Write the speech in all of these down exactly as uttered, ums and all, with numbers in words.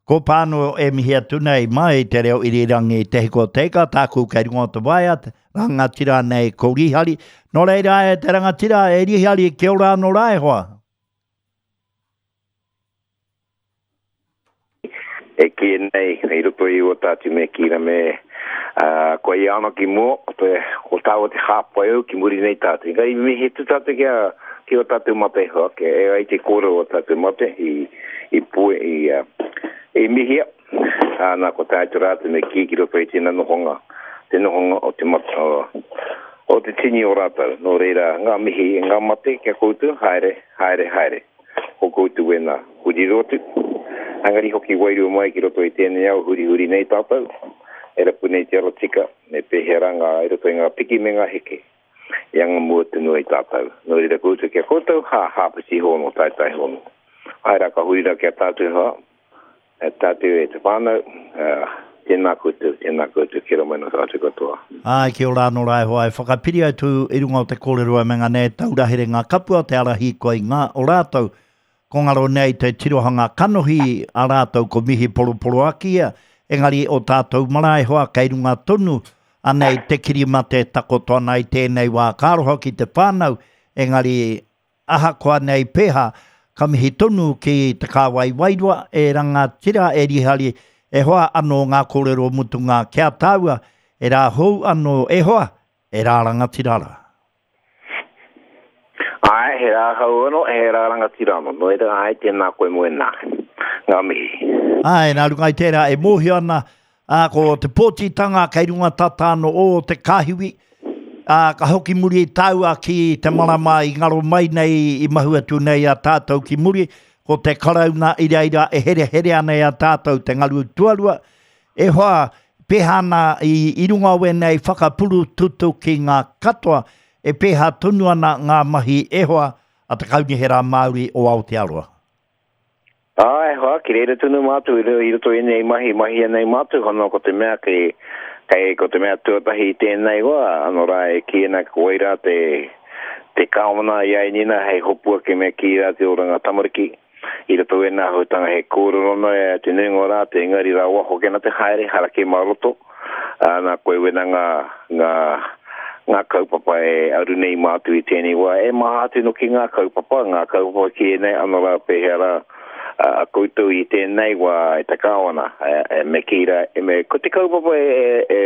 Ko pāno e mihi atu nei mai te reo irirangi Te Hiko Teika, tāku kei runga o te waea, rangatira nei ko Rihari. Nō reira e te rangatira e Rihari, kia ora anō rā e hoa. E ki nei, i roto i o tātou me kīra me uh, ko i ana ki mua, ko te, ko tāua te hāpai au ki muri nei tātou. Engari mihi tu tātou kia, ki o tātou mate hoa, ke e ai te kōrero o tātou mate i, i pue, i, uh, i mihia. Ana ko tātou rātou me ki ki roto i tēnā nohonga, te nohonga o te mate, o, o te tini o rātou. Nō reira, ngā mihi, ngā mate kia koutou, haere, haere, haere. Ko koutou wena, huri rotu. Angari hoki wairua mai ki roto i tēnei au, huri huri nei tātou. E rapu nei te ara tika, me pēhea ngā i roto i ngā piki me ngā heke. I anga mua tonu ai tātou. Nō reira koutou kia koutou, hā, hāpiti hono, taitai hono. Ai rā ka huri rā kia tātou hoa, e tātou e te whānau, uh, tēnā koutou, tēnā koutou, kia ora mai nō tātou katoa. Ai, kia ora anō rā e hoa, e whakapiri atu i runga o te kōrero e me ngā nei taura here ngā kapua, te ara hīkoi ngā o rātou. Ko ngaro nei te tirohanga kanohi a rātou ko mihi poroporoaki ia, engari o tātou marae hoa kei runga tonu, anei te kirimate takoto ana i tēnei wā ka aroha ki te whānau, engari ahakoa nei pēhā, ka mihi tonu ki te kāwai wairua, e rangatira, e Rihari, e hoa anō ngā kōrero mutunga kia tāua, e rā hou anō e hoa, e rā rangatira rā. Ai, he rā hou anō, he rā rangatira anō. Nō reira, ai, tēnā koe mo ēnā. Ngā mihi. Ai, nā runga i tērā e mōhio ana, ā, ko te pōtitanga kei runga tata anō o te kāhiwi, ā, ka hoki muri i tāua ki te marama i ngaro mai nei, i mahu atu nei a tātou ki muri, ko te karauna i reira e here here ana i a tātou te ngaru tuarua. E hoa, pēhā ana i, i runga o ēnei whakapuru tutu ki ngā katoa, e pēhā tonu ana ngā mahi e hoa a te Kaunihera Māori o Aotearoa. Ai, hoa, ki reira tonu mātou i roto i nei mahi, mahi nei mātou, hono ko te mea kei, kei ko te mea tuatahi i tēnei wā, anō rā e kī ana ko waira te, te kāwana i ai nina hei hopua ke mea ki rā te oranga tamariki. I roto e nā hutanga he kōrero no e te nuinga o rātou, engari rā waho kena te haere, harake mā roto. Nā koe wena ngā, ngā, ngā kaupapa e aru nei mātou i tēnei wā. E maha atu no ki ngā kaupapa, ngā kaupapa ki ēnei anō rā pēhea rā a koutou i tēnei wā e te kāwana, e, e me kī rā, e me, ko te kaupapa e, e,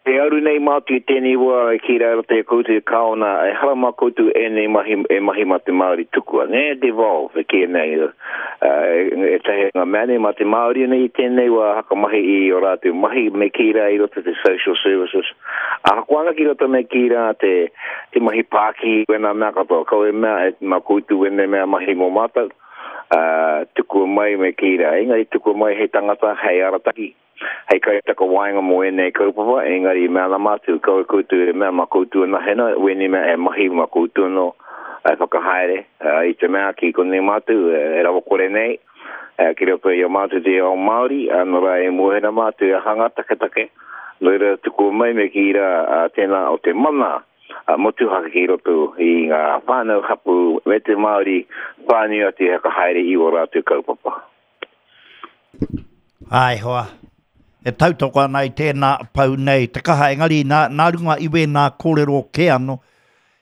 e aru nei mātou i tēnei wā e kī rā te koutou e kāwana, e hara mā koutou ēnei mahi, e mahi mā te Māori tukua, ne, devolve, e kī nei, e tahi ngā mea nei mā te Māori nei i tēnei wā hakamahi i o rātou mahi me kī rā i roto te social services. Ahakoa ana ki roto me kī rā te, te mahi pākihi wena mea katoa, kau e mea e mā koutou wene mea mahi mō mātou, uh, tukua mai me kī rā, engari tukua mai hei tangata, hei arataki, hei kaitakawaenga mō ēnei kaupapa, engari mea ana mātou, kau e koutou e mea mā koutou ana hena, wēnei mea e mahi mā koutou anō, e whakahaere, uh, i te mea ki konei mātou, e rawa kore nei, uh, ki roto i a mātou te ao Māori, anō rā e mōhena mātou e hanga taketake, nō reira tukua mai me ki rā uh, tēnā o te mana, uh, motuhake ki roto i ngā whānau hapu me te Māori whānui atu e whakahaere i o rātou kaupapa. Ai hoa, e tautoko ana i tēnā pau nei te kaha, engari nā, nā runga i wēnā kōrero kē anō,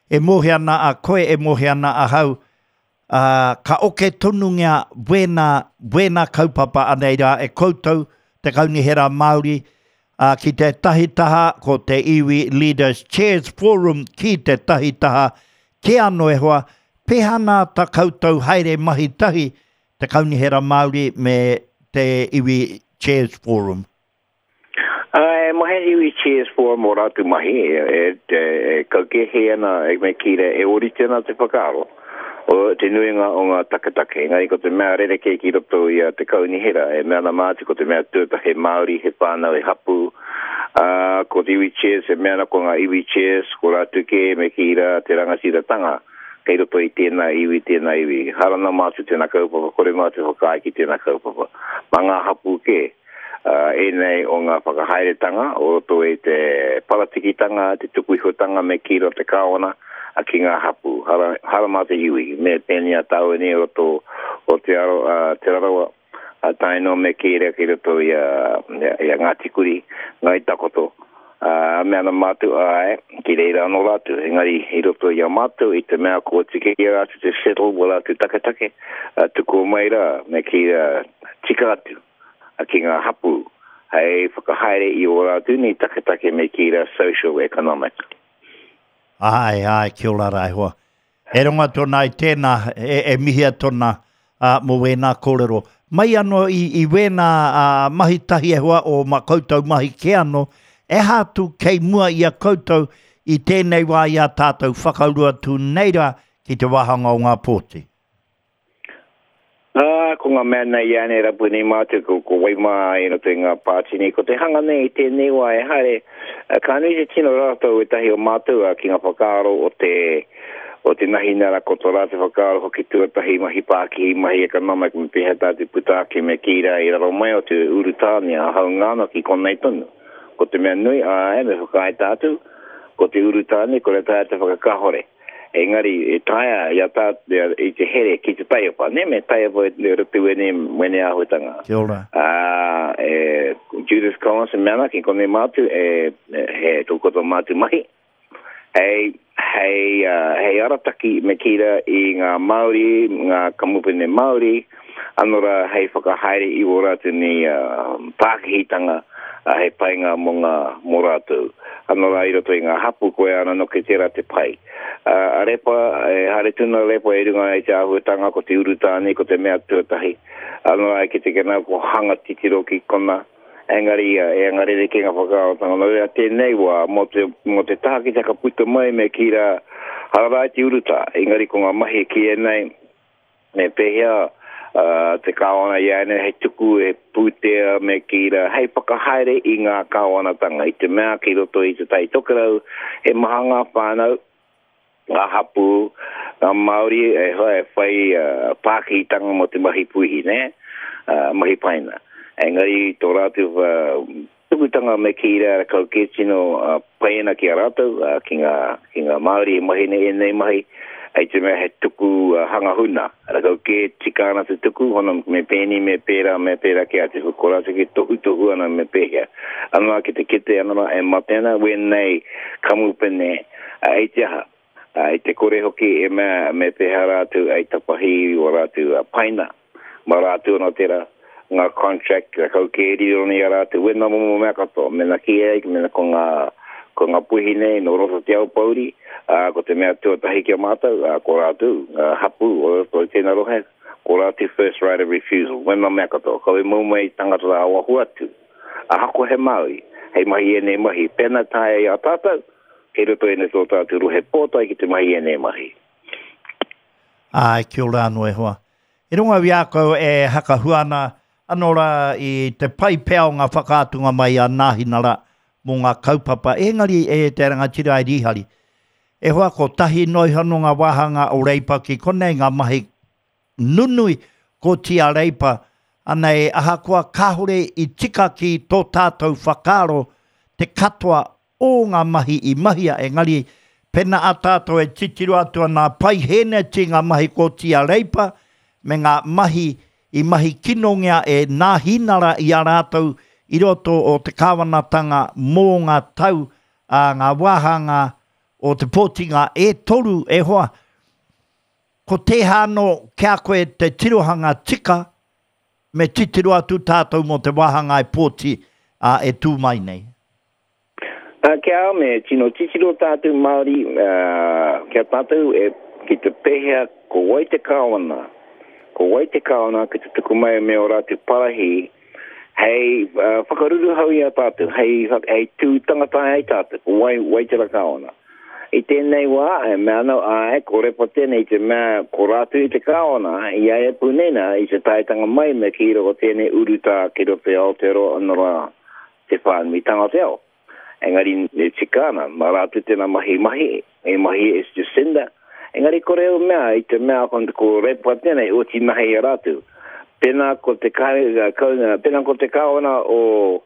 e mōhio ana a koe, e mōhio ana ahau, uh, ka oke tonungia wēnā, wēnā kaupapa anei rā e koutou, te Kaunihera Māori, uh, ki te tahi taha, ko te Iwi Leaders Chairs Forum ki te tahi taha, ke anō e hoa, pēhā nā ta koutou haere mahi tahi, te Kaunihera Māori me te Iwi Chairs Forum? Uh, e mahi Iwi Chairs Forum o rātou mahi, e, e, e, e kaukehe ana, e me kī rā, e orite ana te whakaaro o te nuinga o ngā taketake. Engari ko te mea rerekē ki roto i a te Kaunihera, e mea ana mātou ko te mea tuatahi he Māori, he whānau, he hapu. Uh, ko te Iwi Chairs, e mea ana ko ngā Iwi Chairs, ko rātou kē me kī rā te rangatiratanga kei roto i tēnā iwi, tēnā iwi. Harana mātou tēnā kaupapa, kore mātou whakaae ki tēnā kaupapa. Mā ngā hapu kē, uh, ēnei o ngā whakahaeretanga, o roto i te paratikitanga, te tukuihotanga me kī rā te kāwana, ki ngā hapu. Hara, hara mā te iwi, me pēnei a tāua nei o roto o te, aro, uh, te Rarawa, Tae noa me kī rā ki roto i a, i a Ngāti Kuri, Ngāi Takoto. Uh, mea ana mātou, āe, ki reira anō rātou. Engari, i roto i a mātou, i te mea kua tika i a rātou te settle, wā rātou taketake, uh, tukua mai rā, me kī rā, tika atu, uh, ki ngā hapū, hei whakahaere i ō rātou nei taketake me kī rā social economic. Āe, āe, kia ora rā e hoa. E rongo atu ana i tēnā, e, e mihi atu ana uh, mō wēnā kōrero. Mai anō i, i wēnā uh, mahi tahi e hoa o ma koutou mahi kē anō, e aha atu kei mua i a koutou i tēnei wā i a tātou whakauru atu nei rā ki te wāhanga o ngā pōti? Ā, ko ngā mea nei i ānei rapu nei mātou, ko, ko wai mā i roto i ngā pāti nei, ko te hanga nei i tēnei wā e haere, ka nui te tino rātou ētahi o mātou ki ngā whakaaro o te, o te Nahinara, ko tō rātou whakaaro hoki tuatahi mahi pākihi, mahi economic, me pēhea tātou puta ake me kī rā i raro mai o te urutāne a haunga ana ki konei tonu. Ko te mea nui, āe, me whakaae tātou, ko te urutāne, kore taea te whakakahore. Engari, e taea i a tātou, i te here ki te taiapa, ne? Me taiapa e roto i wēnei, wēnei āhuatanga. Kia ora. Ā, e, Judith Collins e mea ana ki konei mātou, e, he tō koutou mātou mahi, hei, hei, uh, hei arataki me kī rā i ngā Māori, ngā kamupene Māori, anō rā hei whakahaere i wō rātou nei uh, pākihitanga, uh, hei painga mō ngā, mō rātou. Anō rā i roto i ngā hapū koe ana noke tērā te pai. Uh, a Repa, e haere tonu a Repa i runga i te āhuatanga ko te urutāne, ko te mea tuatahi. Anō rā e kite kena ko hanga titiro ki kona, engari e anga rerekē ngā whakaarotanga. Nō reira tēnei wā, mō te, mō te taha ki te whakaputa mai me kī rā, hara rā i te urutā, engari ko ngā mahi e kīia nei, me pēhea uh, te kāwana i a nei hei tuku e pūtea me kī rā, hei whakahaere i ngā kāwanatanga. I te mea ki roto i te Tai Tokerau, he maha ngā whānau, ngā hapū, ngā Māori e hoa e whai uh, pākihitanga mō te mahi puihi, nē? Uh, mahi paina. Engari tō rātou uh, tukutanga me kī rā kau kē tino uh, pai ana ki a rātou, uh, ki ngā, ki ngā Māori e mahi nei ēnei mahi, hei te mea he tuku uh, hanga huna. Rakau kē tika ana te tuku, hono me pēni, me pērā, me pērā ki a te ko rātou ki tohutohu ana me pēhea. Anō rā ki te kite, anō rā e mate ana wēnei kamupene uh, i te aha. Uh, i te kore hoki e mea me pēhea rātou ei tapahi o rātou uh, paina. Ma rātou anō tērā ngā contract, rakau kē riro nei a rātou, wena momo mea katoa, mena ki ai, mena ko ngā, ko ngā puihi nei, nō roto te Aupōuri, uh, ko te mea tuatahi ki a mātou, uh, ko rātou, uh, hapū, o roto i tēnā rohe, ko rātou first right of refusal, wena mea katoa, kau e mau mai tangata rā waho atu, ahakoa he Māori, hei mahi ēnei mahi, pēnā taea i a tātou, kei roto ēnei tō tātou rohe pōtae ki te mahi ēnei mahi. Āe, kia ora anō e hoa. I runga i a koe e hakahua ana, anō rā i te pai pea o ngā whakaatunga mai a Nāhinara mō ngā kaupapa, engari e te rangatira e Rīhari. E hoa, ko tahi noa iho anō ngā wāhanga o Reipa ki konei, ngā mahi nunui ko tia Reipa, ana e ahakoa kāore i tika ki tō tātou whakaaro te katoa o ngā mahi i mahia, engari pena a tātou e titiro atu ana pai hēneti ngā mahi ko tia Reipa me ngā mahi i mahi kinongia e Nāhinara i a rātou i roto o te kāwanatanga mō ngā tau a ngā wāhanga o te pōtinga e toru e hoa. Ko tēhea anō kia koe te tirohanga tika me titiro atu tātou mō te wāhanga e pōti a, e tū mai nei? Uh, kia au me tino titiro tātou Māori, uh, kia tātou e, ki te pēhea ko wai te kāwana, ko wai te kāwana ki te tuku mai me o rātou parahi, hei uh, whakaruruhau i a tātou, hei, hei tū tangata ai tātou, ko wai, wai te kāwana. I tēnei wā, e mea anō, āe, ko Repa tēnei, te mea ko rātou i te kāwana, i a e pūnena, i te taetanga mai me ki roko tēnei urutā ki roto i Aotearoa anō rā te whānuitanga o te ao. Engari e tika ana, mā rātou tēnā mahi mahi, e mahi e Jacinda. Engari kore au mea, i te mea ko, ko Repa tēnei, oti mahi i a rātou. Pēnā ko te, pēnā ko te kāwana o,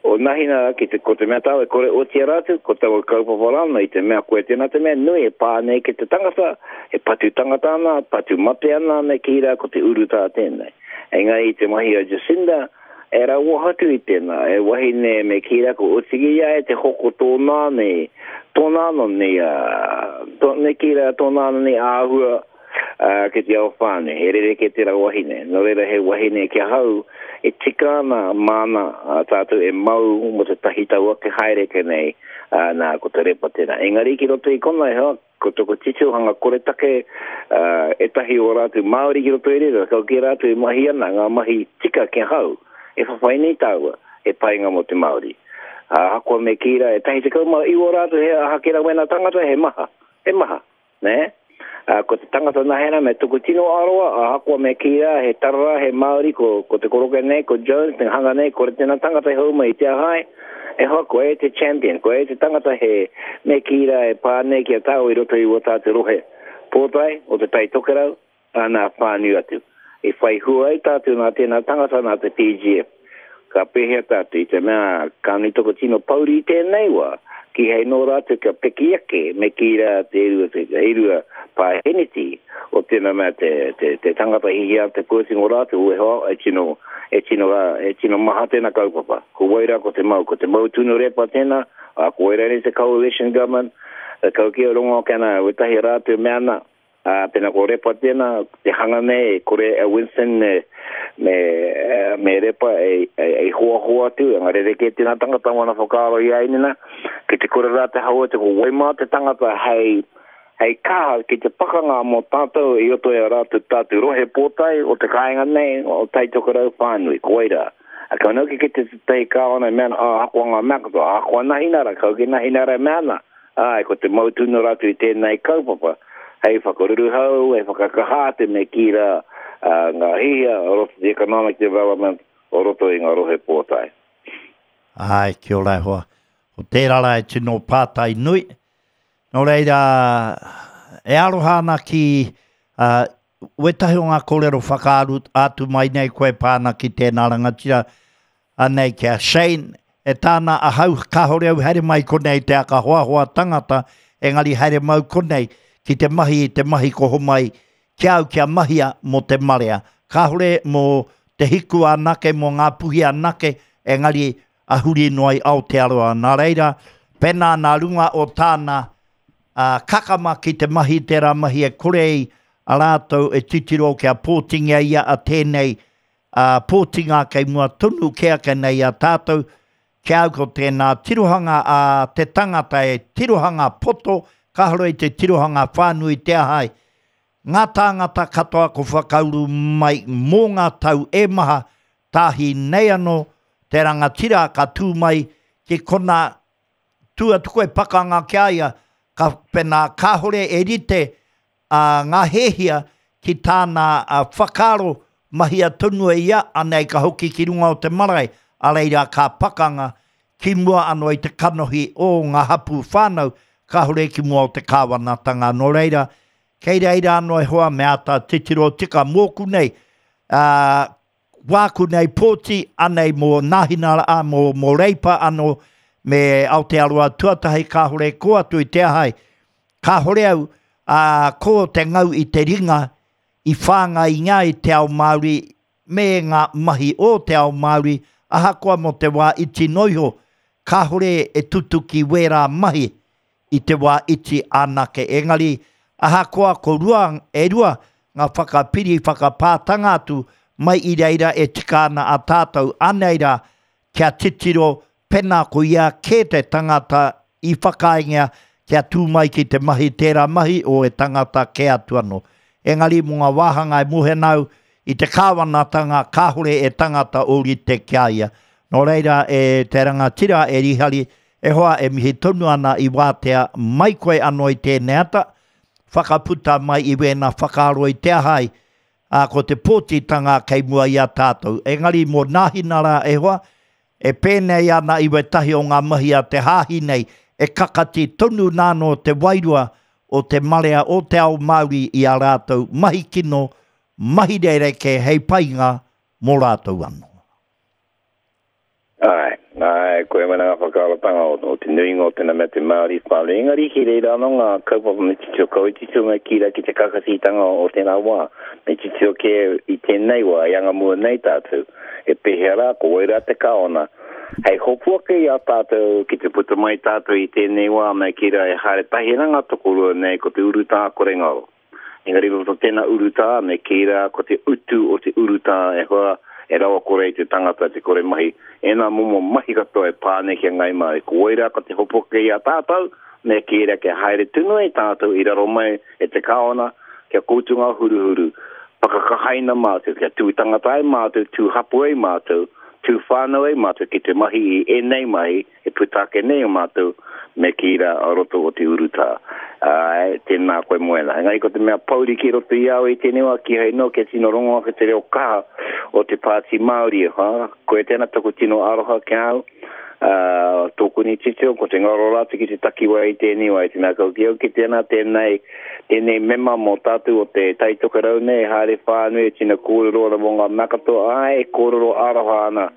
o Nahina ki te, ko te mea tāu e kore oti a rātou, ko taua kaupapa rāna i te mea koe tēnā te mea nui e pā nei ki te tangata, e patu tangata ana, patu mate ana me kī rā ko te urutā tēnei. Engari i te mahi a Jacinda, e rawa atu i tēnā, e wahine me kī rā ko otiki ia e te hoko tōna nei, tōna anō nei, uh, tō, me kī rā tōna anō nei āhua uh, ki te ao whānui, he rerekē tērā wahine. Nō reira he wahine ki ahau e tika ana māna uh, tātou e mau mo te tahi tau ake haere ke nei, uh, nā ko te repa tēnā. Engari ki roto i kona e hoa, ko toko tirohanga koretake uh, etahi o rātou Māori ki roto i reira, kau ki rātou e mahi ana, ngā mahi tika ki ahau, e whawhai nei tāua, e painga mō te Māori. Ahakoa me kī rā, e tahi tekau mā iwa rātou he aha ki rā wena tangata, he maha, he maha, nē? Uh, ko te tangata nahena me tuku tino aroa, ahakoa me kī rā, he tarara, he Māori, ko, ko te koroke nei, ko Jones, te hanga nei, ko tēnā tangata e hou mai i te ahai, e hoa, ko e te champion, ko e te tangata he me kī rā e pā nei ki a tāu i roto i o tātou rohe pōtae, o te Tai Tokerau, nā whānui atu. E whai hua ai tātou nā tēnā tangata nā te P G F. Ka pēhea tātou i te mea ka nui toko tino pauri i tēnei wā, ki hei nō rātou kia peki ake me kī rā te erua, te erua pāheneti o tēnā mea te, te, te tangata hihia te pōtingo rātou, e hoa, e tino, e tino, e tino maha tēnā kaupapa. Ko wai rā ko te mau, ko te mau tunu repa tēnā, a ko wai rā te coalition government, kau ki o rongo kana wetahi rātou mea ana, a pena ko repa tēnā, te hanga nei, kore a Winston me, me, me repa e, e, e hoa hoa atu, ngā rerekē tēnā tangata wana whakaaro i ainina, ki te kore rā te haua te ko waimā te tangata hei, hei kaha ki te pakanga mō tātou i roto i a rātou tātou rohe pōtae o te kāinga nei, o Tai Tokerau whānui, ko wai rā. A kau nau ki te te kāwana e mea ana, a hakoa ngā mea katoa, a hakoa nahinara, kau ki nahinara e mea ana, ai, ko te mautunu rātou i tēnei kaupapa, hei whakaruruhau, hei whakakaha te me kī rā uh, ngā hihia o roto te economic development o roto i ngā rohe pōtae. Ai, kia ora e hoa. Ko tērā rā e tino pātai nui. Nō reira, e aroha ana ki uh, wetahi o ngā kōrero whakaaru atu mai nei koe pāna ki tēnā rangatira anei ki a Shane. E tāna ahau kāhore au haere mai konei te aka hoahoa tangata, engari haere mau konei ki te mahi, te mahi ko homai ki au kia mahia mō te marea. Kāhore mō te hiku anake, mō ngā puhi anake, engari ahuri noa i Aotearoa. Nā reira, pēnā nā runga o tāna uh, kakama ki te mahi tērā mahi e kore i a rātou e titiro kia pōtingia ia a tēnei uh, pōtinga kei mua tonu ke ake nei a tātou, kia au ko tēnā tirohanga a te tangata e tirohanga poto, kāhore i te tirohanga whānui te ahai. Ngā tāngata katoa ko whakauru mai mō ngā tau e maha, tāhi nei anō te rangatira ka tū mai ki kona tū atu koe pakanga ki a ia, ka pena kāhore e rite uh, ngā hēhia ki tāna uh, whakaaro mahia tonu e ia, anei ka hoki ki runga o te marae, a reira ka pakanga ki mua anō i te kanohi o ngā hapū whānau, kāhore ki mua o te kāwanatanga. Nō reira, kei reira anō e hoa me āta titiro tika mōku nei, uh, wāku nei pōti, anei mō Nāhinara, mō, mō Reipa anō, me Aotearoa tuatahi kāhore ko atu i te ahai. Kāhore au, uh, ko te ngau i te ringa, i whāngai ngā i te ao Māori, me ngā mahi o te ao Māori, ahakoa mō te wā iti noiho, kāhore e tutuki wērā mahi i te wā iti anake. Engari, ahakoa ko rua, e rua, ngā whakapiri whakapātanga atu, mai i reira e tika ana a tātou anei rā, kia titiro pena ko ia kē te tangata i whakaingia kia tū mai ki te mahi tērā mahi o e tangata kē atu anō. Engari mō ngā wāhanga e mohe nau i te kāwanatanga kāhore e tangata ōrite ki a ia. Nō reira e te rangatira e Rihari, e hoa e mihi tonu ana i wātea mai koe anō i tēnei ata, whakaputa mai i wēnā whakaaro i te ahai, a ko te pōtitanga kei mua i a tātou. Engari mō Nāhinara e hoa, e pēnei ana i wetahi o ngā mahi a te hāhi nei, e kakati tonu nāno te wairua o te marea o te ao Māori i a rātou mahi kino, mahi rereke hei painga mō rātou anō. Ai, ai, Ai, koe mana ngā whakaarotanga o, o te nuinga o tēnā mea te Māori whānui. Engari ki reira anō ngā kaupapa me titiro kau i titiro me kī rā ki te kakatitanga o tēnā wā. Me titiro kē i tēnei wā, i anga mua nei tātou. E pēhea rā, ko wai rā te kāwana. Hei hopu ake i a tātou ki te puta mai tātou i tēnei wā, me kī rā e haere tahi ana ngā tokorua nei ko te urutā kore ngaro. Engari roto tēnā urutā, me kī rā ko te utu o te urutā e hoa e rawa kore i te tangata te kore mahi. Ēnā momo mahi katoa e pā nei ki a Ngai Māori. Ko wai rā ko te hopu ake i a tātou, me kī rā kia haere tonu ai tātou i raro mai e te kāwana, kia koutou ngā huruhuru, whakakahaina mātou, kia tū tangata ai mātou, tū hapu ai mātou, tū whānau ai mātou ki te mahi i ēnei mahi e puta ake nei o mātou, me kī rā a roto o te urutā. Āe, tēnā koe Moena. Engari ko te mea pouri ki roto i au i tēnei wā, kīhai noa kia tino rongo ake te reo kaha o te Pāti Māori, ha? Koe tēnā taku tino aroha ki a au, ā, tōku ni titiro, ko te ngaro rātou ki te takiwā i tēnei wā, i te mea kau ki au ki tēnā, tēnei, tēnei mema mō tātou o te Tai Tokerau nei, haere whānui, e tino kōrero ana mō ngā mea katoa, āe, e kōrero aroha ana,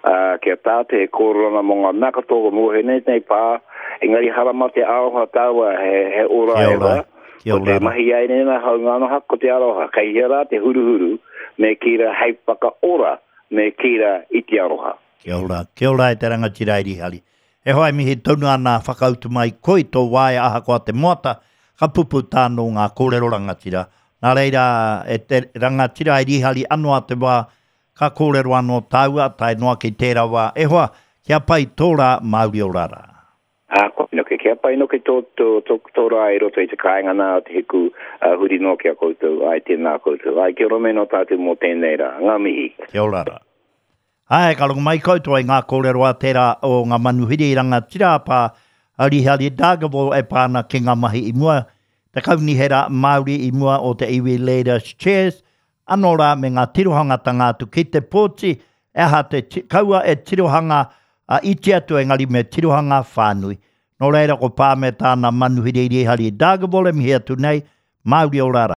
ā, ki a tātou, e kōrero ana mō ngā mea katoa, ko mōhio nei tēnei pā, engari harama te aroha tāua, he, he ora Kia e ora, hoa. kia Ko te ora. mahi ai nei nā haunga anō haka, ko te aroha. Kei hea rā te huruhuru, me kī rā hei whakaora, me kī rā i te aroha. Kia ora, kia ora e te rangatira i Rihari. E hoa e mihi tonu ana whakautu mai koi tō waea ahakoa te moata, ka pupu tānō ngā kōrero rangatira. Nā reira, e te rangatira i Rihari anō a te wā, ka kōrero anō tāua, tae noa ki tērā wā. E hoa, kia pai tō rā, Māori ora rā. Ā, koe noke, kia pai noke tō, tō, tō, tō rā i roto i te kāinga nā o te hiku, uh, huri noa ki a koutou, ai tēnā koutou. Ai, kia ora me nō tātou mō tēnei rā. Ngā mihi. Kia ora rā. Ai, ka rongo mai koutou ai ngā kōrero a tērā o ngā manuhiri rangatira pā Rihari Dargaville e pā ana ki ngā mahi i mua, te kaunihera Māori i mua o te iwi Leaders Chairs, anō rā me ngā tirohangatanga atu ki te pōti, e aha te ti-, kaua e tirohanga a iti atu engari me tirohanga whānui. Nō reira ko pā me tāna manuhiri Rihari Dargaville e mihi atu nei, Māori ora rā.